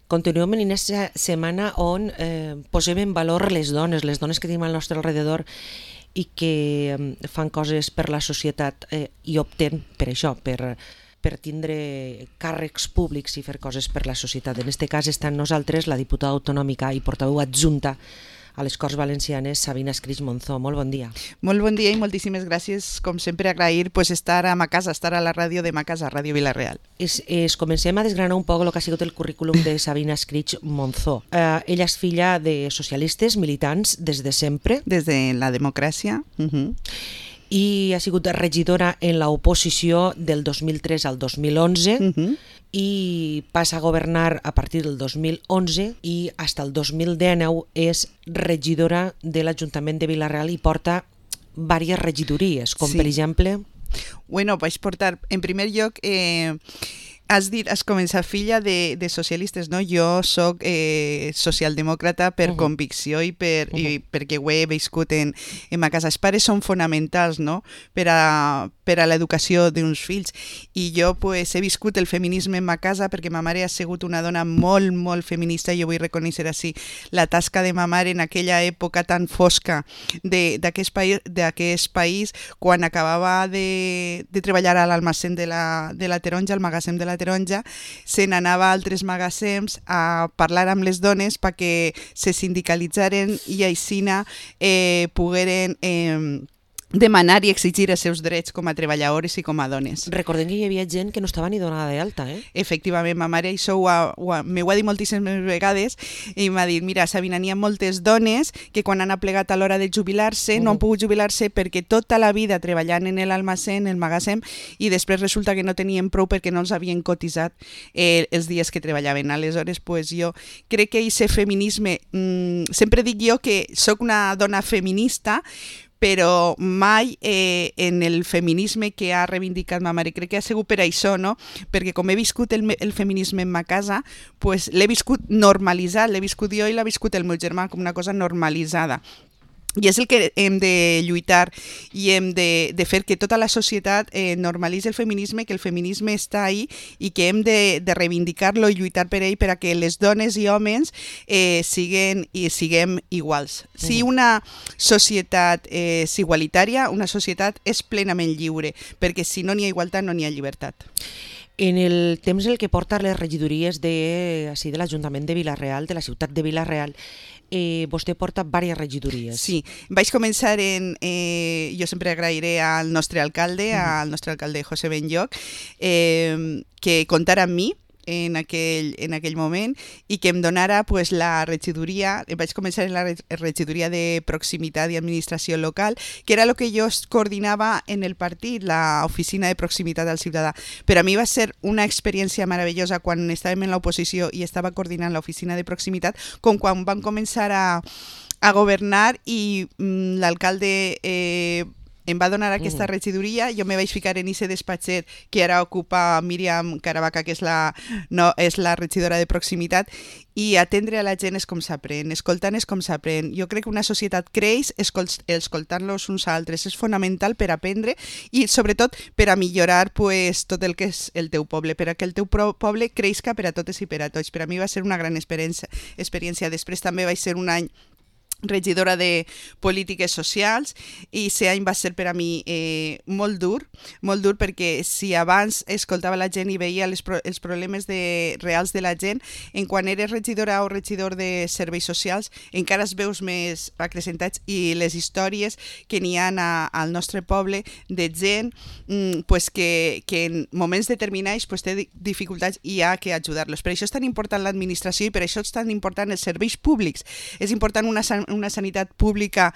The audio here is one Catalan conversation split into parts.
Continuem en aquesta setmana on posem en valor les dones que tenim al nostre alrededor i que fan coses per la societat i opten per això, per tindre càrrecs públics i fer coses per la societat. En aquest cas està amb nosaltres la diputada autonòmica i portaveu adjunta a les Corts Valencianes, Sabina Escrig Monzó. Molt bon dia. Molt bon dia i moltíssimes gràcies, com sempre, agrair estar a ma casa, estar a la ràdio de ma casa, Ràdio Vila-real. Comencem a desgranar un poc el que ha sigut el currículum de Sabina Escrig Monzó. Ella és filla de socialistes, militants des de sempre. Des de la democràcia. I ha sigut regidora en l'oposició del 2003 al 2011 i passa a governar a partir del 2011 i fins al 2019 és regidora de l'Ajuntament de Vila-real i porta diverses regidories, com per exemple... Bueno, vaig portar, en primer lloc... Has començat filla de socialistes, no? Jo soc socialdemòcrata per convicció i perquè ho he viscut en ma casa. Els pares són fonamentals, no? Per a l'educació d'uns fills. I jo he viscut el feminisme en ma casa perquè ma mare ha sigut una dona molt, molt feminista i jo vull reconèixer així la tasca de ma mare en aquella època tan fosca d'aquest país quan acabava de treballar a l'almacén de la Taronja, al magatzem de la Taronja, se n'anava a altres magatzems a parlar amb les dones perquè se sindicalitzaren i aixina pogueren demanar i exigir els seus drets com a treballadores i com a dones. Recordem que hi havia gent que no estava ni donada d'alta, Efectivament, ma mare això m'ho ha dit moltíssimes vegades i m'ha dit, mira, Sabina, n'hi ha moltes dones que quan han aplegat a l'hora de jubilar-se no han pogut jubilar-se perquè tota la vida treballant en l'almacén, en el magatzem, i després resulta que no tenien prou perquè no els havien cotitzat els dies que treballaven. Aleshores, jo crec que aquest feminisme, sempre dic jo que sóc una dona feminista, però mai en el feminisme que ha reivindicat ma mare. Crec que ha sigut per això, no? Perquè com he viscut el feminisme en ma casa, l'he viscut normalitzat, l'he viscut jo i l'ha viscut el meu germà com una cosa normalitzada. I és el que hem de lluitar i hem de fer que tota la societat normalitzi el feminisme, que el feminisme està ahí i que hem de reivindicar-lo i lluitar per ell per a que les dones i homes siguem iguals. Si una societat és igualitària, una societat és plenament lliure, perquè si no n'hi ha igualtat no n'hi ha llibertat. En el temps en què porta les regidories de l'Ajuntament de Vila-real, de la ciutat de Vila-real, vostè porta diverses regidories. Sí, vaig començar jo sempre agrairé al nostre alcalde, José Benlloch, que comptara amb mi en aquell moment i que em donara la regidoria. Vaig començar en la regidoria de proximitat i administració local, que era el que jo coordinava en el partit, l'oficina de proximitat al ciutadà. Per a mi va ser una experiència meravellosa quan estàvem en l'oposició i estava coordinant l'oficina de proximitat, com quan van començar a governar i l'alcalde em va donar aquesta regidoria, jo me vaig ficar en aquest despatxet que ara ocupa Míriam Caravaca, que és la regidora de proximitat, i atendre a la gent és com s'aprèn, escoltant és com s'aprèn. Jo crec que una societat creix escoltant-los uns altres, és fonamental per aprendre i sobretot per a millorar tot el que és el teu poble, per a que el teu poble creixca per a totes i per a tots. Per a mi va ser una gran experiència. Després també vaig ser un any regidora de polítiques socials i aquest any va ser per a mi molt dur perquè si abans escoltava la gent i veia els problemes reals de la gent, en quan eres regidora o regidor de serveis socials encara els veus més acrecentats i les històries que n'hi ha al nostre poble de gent que en moments determinats té dificultats i hi ha que ajudar-los. Per això és tan important l'administració i per això és tan important els serveis públics. És important una sanitat pública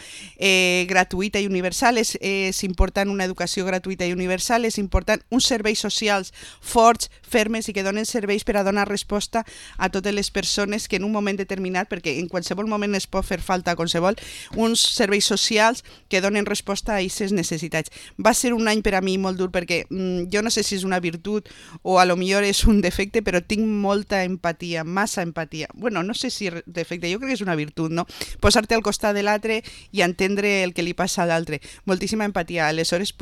gratuïta i universal, és important una educació gratuïta i universal, és important uns serveis socials forts, fermes i que donen serveis per a donar resposta a totes les persones que en un moment determinat, perquè en qualsevol moment es pot fer falta qualsevol, uns serveis socials que donen resposta a aquestes necessitats. Va ser un any per a mi molt dur perquè jo no sé si és una virtut o a lo millor és un defecte, però tinc molta empatia, massa empatia. Bueno, no sé si és defecte, jo crec que és una virtut, no? Posar-te al costat de l'altre i entendre el que li passa a l'altre. Moltíssima empatia. Aleshores,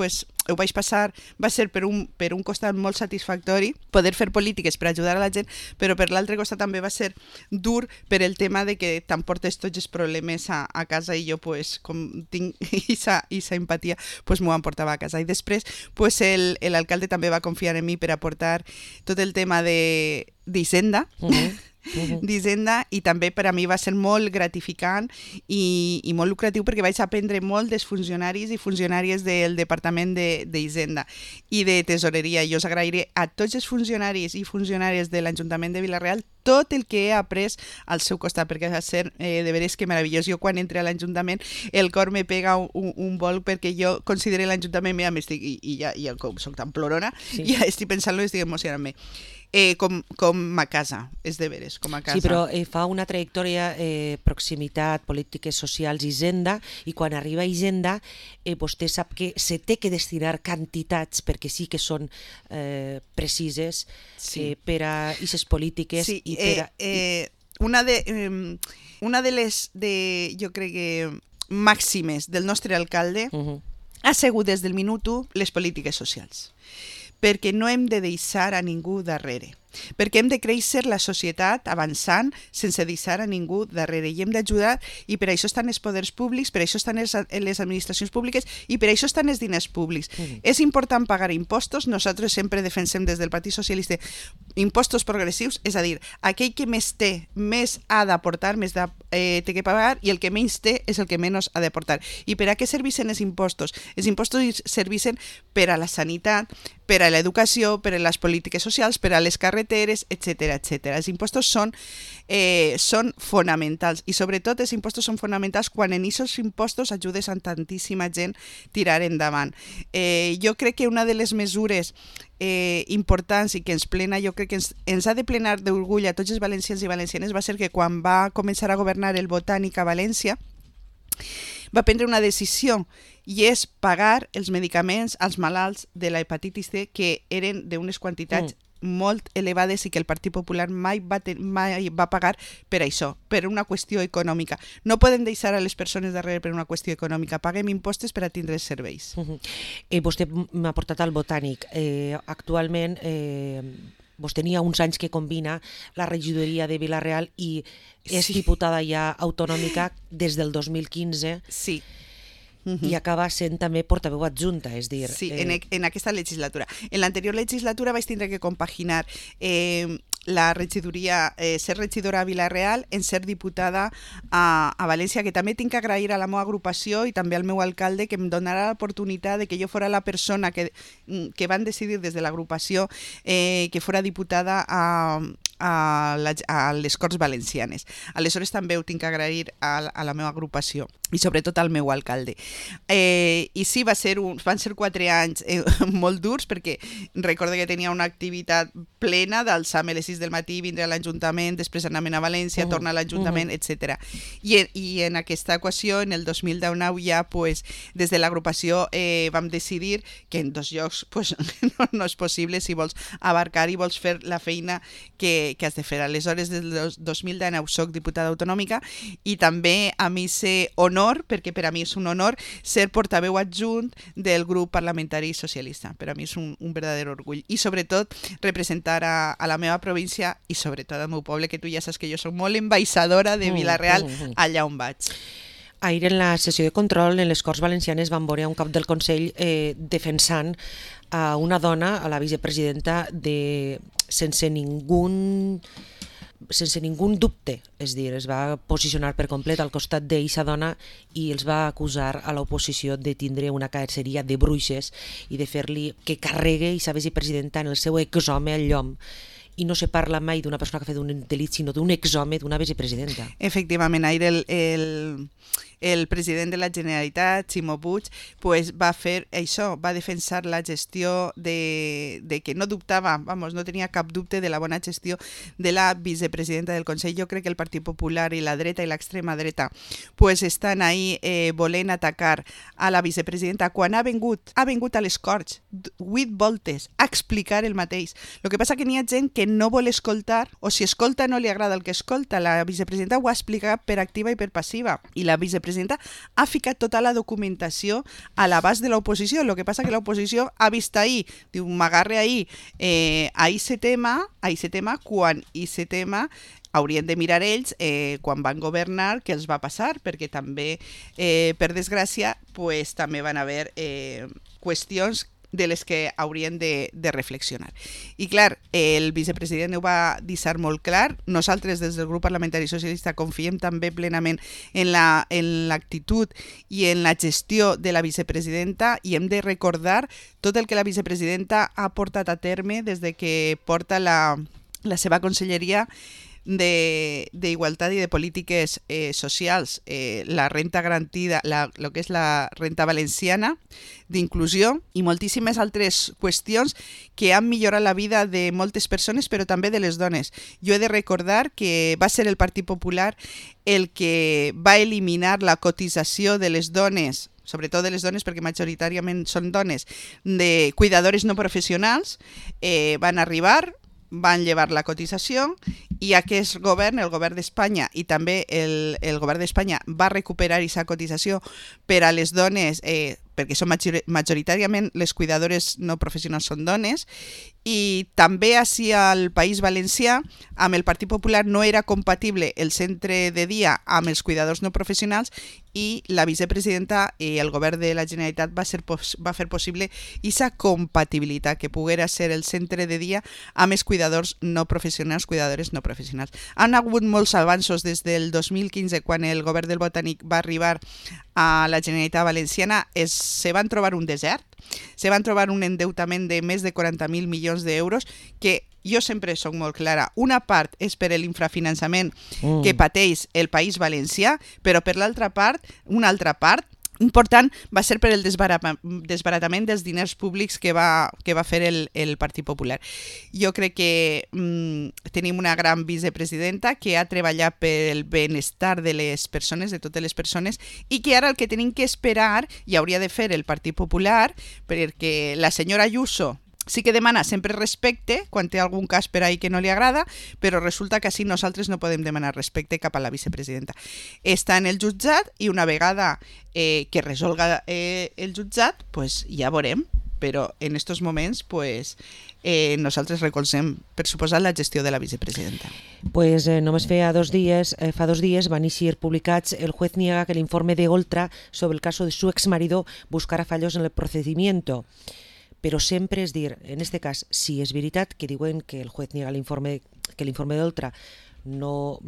ho vaig passar, va ser per un costat molt satisfactori poder fer polítiques per ajudar a la gent, però per l'altre costat també va ser dur per el tema de que t'emportes tots els problemes a casa i jo, pues, com tinc esa empatia, pues m'ho emportava a casa. I després, pues, l'alcalde també va confiar en mi per aportar tot el tema d'Hisenda, d'Hisenda, i també per a mi va ser molt gratificant i molt lucratiu perquè vaig aprendre molt dels funcionaris i funcionàries del Departament d'Hisenda i de Tesoreria. Jo us agrairé a tots els funcionaris i funcionàries de l'Ajuntament de Vila-real tot el que he après al seu costat, perquè va ser de veres que meravellós. Jo quan entre a l'Ajuntament el cor me pega un vol perquè jo considero l'Ajuntament, mira, i com soc tan plorona, ja estic pensant-lo i estic emocionant-me. Com a casa, és de veres, com a casa. Sí, però fa una trajectòria, proximitat, polítiques socials, Hisenda, i quan arriba a Hisenda, vostè sap que se té que destinar quantitats, perquè sí que són precises, per a aquestes polítiques. Sí, una de les, jo crec que, màximes del nostre alcalde ha sigut des del minut 1 les polítiques socials, perquè no hem de deixar a ningú darrere, perquè hem de créixer la societat avançant sense deixar a ningú darrere, i hem d'ajudar, i per això estan els poders públics, per això estan les administracions públiques i per això estan els diners públics. És important pagar impostos. Nosaltres sempre defensem des del Partit Socialista impostos progressius, és a dir, aquell que més té, més ha d'aportar, més té que pagar, i el que menys té és el que menys ha d'aportar. I per a què serveixen els impostos? Els impostos serveixen per a la sanitat, per a l'educació, per a les polítiques socials, per a les carreteres, etc. Els impostos són fonamentals, i sobretot els impostos són fonamentals quan en aquests impostos ajudes a tantíssima gent tirar endavant. Jo crec que una de les mesures importants i que ens plena, jo crec que ens ha de plenar d'orgull a tots els valencians i valencianes, va ser que quan va començar a governar el Botànic a València va prendre una decisió, i és pagar els medicaments als malalts de la hepatitis C, que eren d'unes quantitats molt elevades i que el Partit Popular mai va pagar per això, per una qüestió econòmica. No podem deixar a les persones darrere per una qüestió econòmica. Paguem impostos per a tindre els serveis. Vostè m'ha portat al Botànic. Actualment, vostè n'hi ha uns anys que combina la regidoria de Vila-real i és diputada ja autonòmica des del 2015. Sí. I acaba sent també portaveu adjunta, és dir... Sí, en aquesta legislatura. En l'anterior legislatura vaig tindre que compaginar la regidoria, ser regidora a Vila-real, en ser diputada a València, que també tinc que agrair a la meva agrupació i també al meu alcalde, que em donarà l'oportunitat de que jo fora la persona que van decidir des de l'agrupació que fora diputada a les Corts Valencianes. Aleshores també ho tinc que agrair a la meva agrupació i sobretot al meu alcalde. I sí, van ser 4 anys molt durs, perquè recordo que tenia una activitat plena d'alçar-me a les 6 del matí, vindre a l'Ajuntament, després anar-me'n a València, tornar a l'Ajuntament, etc. I en aquesta equació, en el 2019 ja, pues, des de l'agrupació vam decidir que en 2 llocs pues, no és possible si vols abarcar i vols fer la feina que has de fer. Aleshores, des del 2019 soc diputada autonòmica i també a mi sé honor, perquè per a mi és un honor ser portaveu adjunt del grup parlamentari socialista. Per a mi és un verdader orgull. I sobretot representar a la meva província i sobretot al meu poble, que tu ja saps que jo soc molt ambaixadora de Vila-real allà on vaig. Ahir en la sessió de control en les Corts Valencianes vam veure un cap del Consell defensant a una dona, a la vicepresidenta, sense ningú dubte, és dir, es va posicionar per complet al costat d'eixa dona i els va acusar a l'oposició de tindre una caceria de bruixes i de fer-li que carregue eixa vicepresidenta en el seu exhome al llom. I no se parla mai d'una persona que ha fet un delit, sinó d'un exhome d'una vicepresidenta. Efectivament, ahir el president de la Generalitat, Ximo Puig, pues, va fer això, va defensar la gestió de que no dubtava, no tenia cap dubte de la bona gestió de la vicepresidenta del Consell. Jo crec que el Partit Popular i la dreta i l'extrema dreta pues, estan ahí volent atacar a la vicepresidenta quan ha vingut a les Corts 8 voltes a explicar el mateix. El que passa que n'hi ha gent que vicepresident no vol escoltar, o si escolta no li agrada el que escolta. La vicepresidenta ho ha explicat per activa i per passiva, i la vicepresidenta ha ficat tota la documentació a l'abast de l'oposició. El que passa que l'oposició ha vist ahir, diu, m'agarre ahir, a aquest tema, quan aquest tema haurien de mirar ells quan van governar què els va passar, perquè també, per desgràcia, pues, també van haver qüestions de les que haurien de reflexionar. I clar, el vicepresident ho va deixar molt clar. Nosaltres des del grup parlamentari socialista confiem també plenament en l'actitud i en la gestió de la vicepresidenta, i hem de recordar tot el que la vicepresidenta ha portat a terme des de que porta la seva conselleria d'Igualtat i de Polítiques Socials, la renta garantida, el que és la renta valenciana d'inclusió, i moltíssimes altres qüestions que han millorat la vida de moltes persones, però també de les dones. Jo he de recordar que va ser el Partit Popular el que va eliminar la cotització de les dones, sobretot de les dones, perquè majoritàriament són dones, de cuidadores no professionals. Van arribar, van llevar la cotització, i aquest govern, el govern d'Espanya, i també el govern d'Espanya va recuperar aquesta cotització per a les dones, perquè són majoritàriament les cuidadores no professionals són dones, i també així al País Valencià, amb el Partit Popular no era compatible el centre de dia amb els cuidadors no professionals, i la vicepresidenta i el govern de la Generalitat va fer possible aquesta compatibilitat, que poguera ser el centre de dia amb els cuidadors no professionals, cuidadores no professionals. Han hagut molts avanços des del 2015, quan el govern del Botànic va arribar a la Generalitat Valenciana. Se van trobar un desert, se van trobar un endeutament de més de 40.000 milions d'euros, que jo sempre soc molt clara. Una part és per l'infrafinançament que pateix el País Valencià, però per l'altra part, una altra part important va ser per el desbaratament dels diners públics que va fer el Partit Popular. Jo crec que tenim una gran vicepresidenta que ha treballat pel benestar de les persones, de totes les persones, i que ara el que tenim que esperar, i hauria de fer el Partit Popular, perquè la senyora Ayuso sí que demana sempre respecte quan té algun cas per ahí que no li agrada, però resulta que així nosaltres no podem demanar respecte cap a la vicepresidenta. Està en el jutjat, i una vegada que resolga el jutjat, pues ja veurem, però en aquests moments pues, nosaltres recolzem, per suposar, la gestió de la vicepresidenta. Pues només fa 2 dies van eixir publicats: el juez niega que el informe de Oltra sobre el caso de su exmarido buscara fallos en el procedimiento. Però sempre és dir, en aquest cas, si és veritat que diuen que el juez niega que l'informe d'Oltra no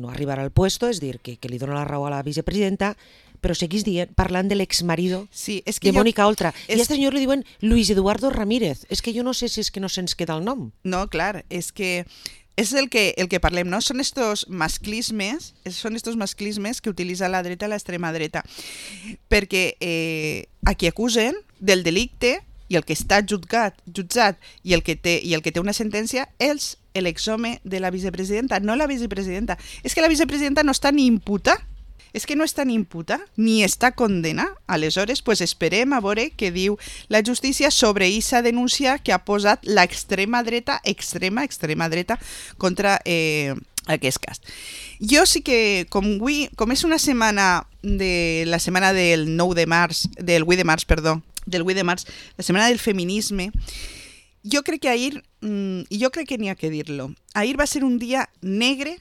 arribarà al puesto, és dir, que li dona la raó a la vicepresidenta, però seguís parlant de l'exmarido de Mónica Oltra. I a aquest senyor li diuen Luis Eduardo Ramírez. És que jo no sé si és que no se'ns queda el nom. No, clar, és que és el que parlem, no? Són estos masclismes que utilitza la dreta i l'extrema dreta, perquè a qui acusen del delicte, i el que està jutjat i el que té una sentència és l'exhome de la vicepresidenta, no la vicepresidenta. És que la vicepresidenta no està ni imputada, ni està condenada. Aleshores, pues esperem a veure què diu la justícia sobre aquesta denúncia que ha posat l'extrema dreta, extrema dreta, contra aquest cas. Jo sí que, com és una setmana la setmana del 8 de març, la setmana del feminisme, jo crec que ahir, i jo crec que n'hi ha que dir-lo, ahir va ser un dia negre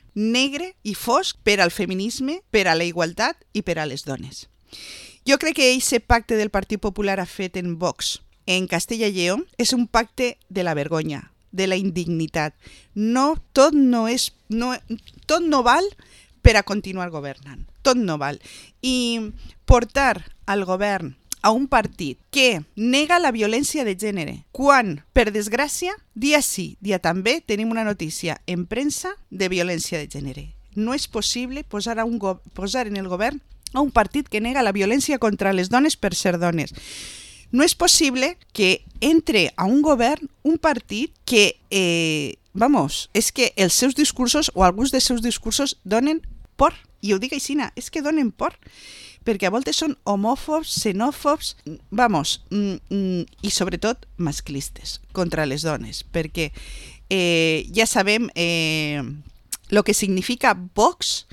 i fosc per al feminisme, per a la igualtat i per a les dones. Jo crec que aquest pacte del Partit Popular ha fet en Vox, en Castella i Lleó, és un pacte de la vergonya, de la indignitat. Tot no val per a continuar governant. Tot no val. I portar al govern a un partit que nega la violència de gènere, quan, per desgràcia, dia sí, dia també, tenim una notícia en premsa de violència de gènere. No és possible posar en el govern a un partit que nega la violència contra les dones per ser dones. No és possible que entre a un govern un partit que, és que els seus discursos o alguns dels seus discursos donen por. I ho dic així, és que donen por. Perquè a voltes són homòfobs, xenòfobs, i sobretot masclistes contra les dones, perquè ya sabem lo que significa Vox,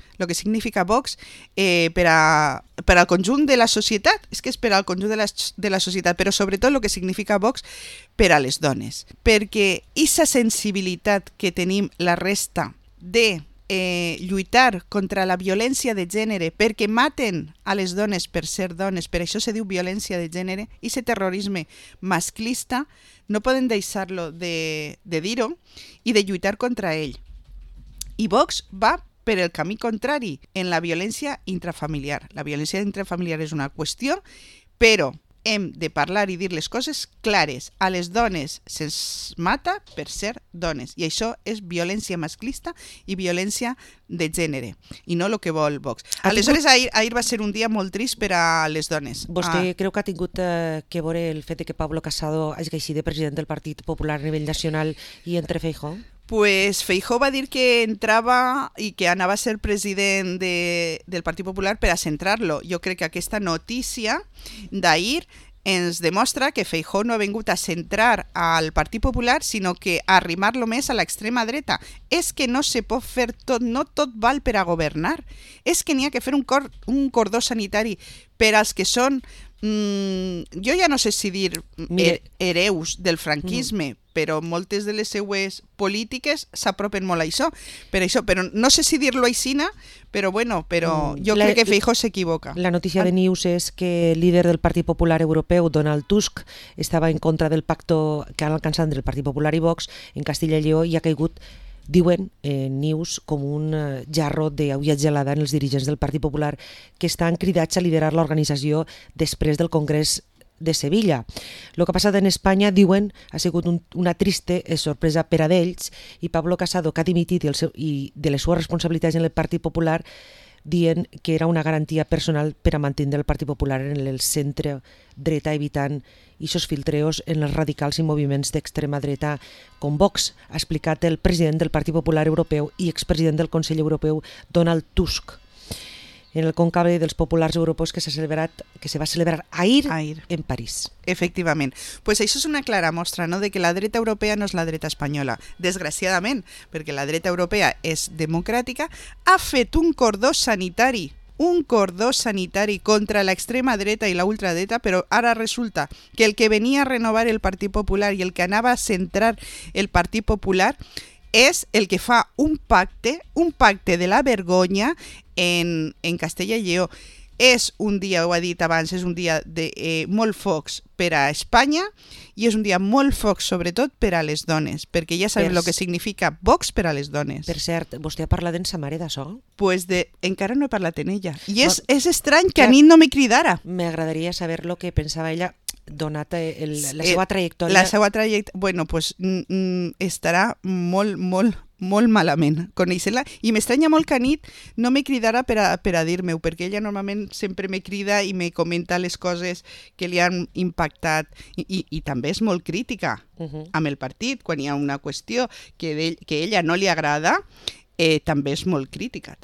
per al conjunt de la societat, és que és per al conjunt de la societat, però sobretot el que significa Vox per a les dones, perquè aquesta sensibilitat que tenim la resta de lluitar contra la violència de gènere perquè maten a les dones per ser dones, per això se diu violència de gènere, i aquest terrorisme masclista no poden deixar-lo de dir-ho i de lluitar contra ell. I Vox va per el camí contrari en la violència intrafamiliar. La violència intrafamiliar és una qüestió, però hem de parlar i dir les coses clares. A les dones se'ns mata per ser dones, i això és violència masclista i violència de gènere, i no el que vol Vox. Aleshores, ahir va ser un dia molt trist per a les dones. Vostè creu que ha tingut que veure el fet de que Pablo Casado hagi de president del Partit Popular a nivell nacional i entre Feijóo? Pues Feijóo va dir que entrava i que anava a ser president del Partit Popular per a centrar-lo. Jo crec que aquesta notícia d'ahir ens demostra que Feijóo no ha vingut a centrar al Partit Popular, sinó que a arrimar-lo més a l'extrema dreta. És que no se pot fer tot, no tot val per a governar. És que n'hi ha que fer un cordó sanitari per als que són, jo ja no sé si dir hereus del franquisme, però moltes de les seues polítiques s'apropen molt a això. Però no sé si dir-lo aixina, però jo crec que Feijóo s'equivoca. La notícia de News és que el líder del Partit Popular Europeu, Donald Tusk, estava en contra del pacto que han alcançat entre el Partit Popular i Vox en Castilla i Lleó, i ha caigut, diuen News, com un jarro d'aigua gelada en els dirigents del Partit Popular, que estan cridats a liderar l'organització després del Congrés de Sevilla. El que ha passat en Espanya, diuen, ha sigut una triste sorpresa per a d'ells, i Pablo Casado, que ha dimitit i de les seves responsabilitats en el Partit Popular, dient que era una garantia personal per a mantenir el Partit Popular en el centre dreta, evitant aquests filtreos en els radicals i moviments d'extrema dreta com Vox, ha explicat el president del Partit Popular Europeu i expresident del Consell Europeu, Donald Tusk, en el conclave dels populars europeus que se va celebrar ahir en París. Efectivament. Pues això és una clara mostra, no?, de que la dreta europea no és la dreta espanyola. Desgraciadament, perquè la dreta europea és democràtica, ha fet un cordó sanitari contra l'extrema dreta i la ultradreta, però ara resulta que el que venia a renovar el Partit Popular i el que anava a centrar el Partit Popular és el que fa un pacte de la vergonya en Castella i Lleó. És un dia, ho ha dit abans, és un dia de molt focs per a Espanya, i és un dia molt focs sobretot per a les dones, perquè ja sabem el que significa Vox per a les dones. Per cert, vostè ha parlat en sa mare d'això? Pues encara no he parlat en ella. I és estrany que a mi no me cridara. M'agradaria saber el que pensava ella, donat la seva trajectòria. La seva trajectòria, bueno, pues estarà molt malament conèixer-la, i m'estranya molt que a nit no me cridara per a dir-me-ho, perquè ella normalment sempre me crida i me comenta les coses que li han impactat, i també és molt crítica amb el partit. Quan hi ha una qüestió que a ella no li agrada, també és molt crítica,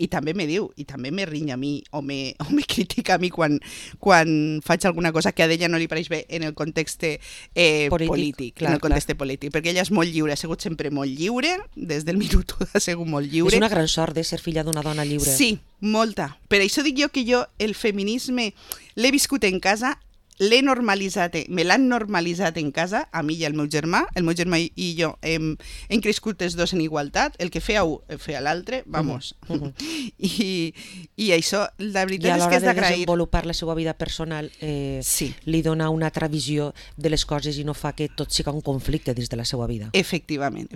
i també me diu, i també me rinya a mi o me critica a mi quan faig alguna cosa que a ella no li pareix bé en el context polític, perquè ella és molt lliure, ha sigut sempre molt lliure, des del minut ha sigut molt lliure. És una gran sort de ser filla d'una dona lliure. Sí, molta. Per això dic jo que el feminisme l'he viscut en casa, me l'han normalitzat en casa, a mi i al meu germà. El meu germà i jo hem crescut els dos en igualtat, el que feia un, feia l'altre, vamos. I això, la veritat és que és d'agrair. I a l'hora de desenvolupar la seva vida personal, li dona una altra visió de les coses i no fa que tot sigui un conflicte dins de la seva vida. Efectivament.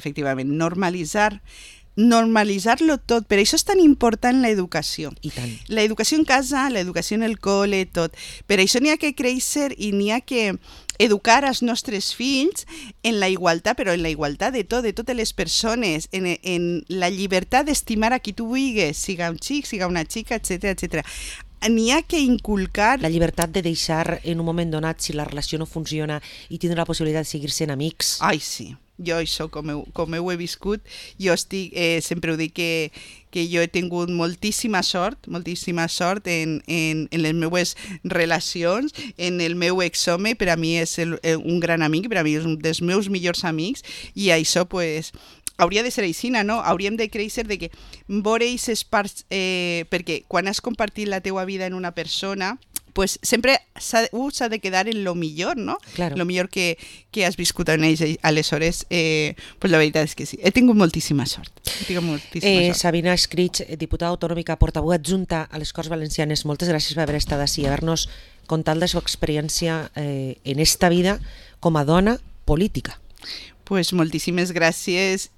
Normalitzar-lo tot, per això és tan important l'educació. I tant. L'educació en casa, l'educació en el col·le, tot. Per això n'hi ha que créixer i n'hi ha que educar els nostres fills en la igualtat, però en la igualtat de totes les persones, en la llibertat d'estimar a qui tu vulguis, siga un xic, siga una xica, etc. N'hi ha que inculcar... La llibertat de deixar en un moment donat, si la relació no funciona, i tindre la possibilitat de seguir sent amics. Ai, sí. jo això, com ho he viscut, jo estic, sempre ho dic que jo he tingut moltíssima sort en les meues relacions, en el meu exhome, per a mi és un gran amic, per a mi és un dels meus millors amics, i això, pues, hauria de ser aixina, no? Hauríem de créixer de que veure aquestes parts, perquè quan has compartit la teua vida en una persona, pues sempre s'ha de quedar en lo millor, no? Claro. Lo millor que has viscut en ells. Aleshores, pues la veritat és que sí. He tingut moltíssima sort. Sabina Escrig, diputada autonòmica, portaveu adjunta a les Corts Valencianes, moltes gràcies per haver estat així i haver-nos contat la seva experiència en esta vida com a dona política. Pues moltíssimes gràcies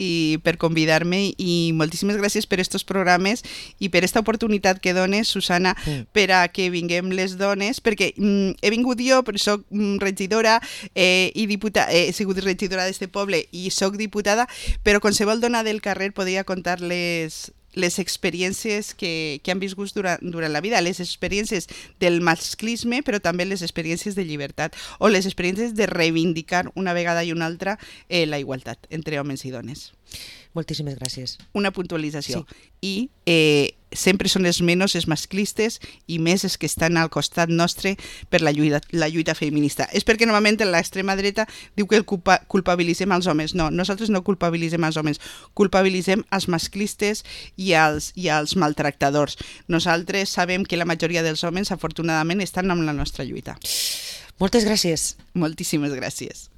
per convidar-me i moltíssimes gràcies per estos programes i per esta oportunitat que dones, Susana, per a que vinguem les dones, perquè he vingut jo, però soc regidora i diputada, he sigut regidora d'este poble i soc diputada, però qualsevol dona del carrer podria contar les experiències que han viscut durant la vida, les experiències del masclisme, però també les experiències de llibertat o les experiències de reivindicar una vegada i una altra la igualtat entre homes i dones. Moltíssimes gràcies. Una puntualització. Sí. I sempre són els menys els masclistes i més els que estan al costat nostre per la lluita feminista. És perquè normalment l'extrema dreta diu que culpabilitzem els homes. No, nosaltres no culpabilitzem els homes, culpabilitzem els masclistes i els maltractadors. Nosaltres sabem que la majoria dels homes, afortunadament, estan amb la nostra lluita. Moltes gràcies. Moltíssimes gràcies.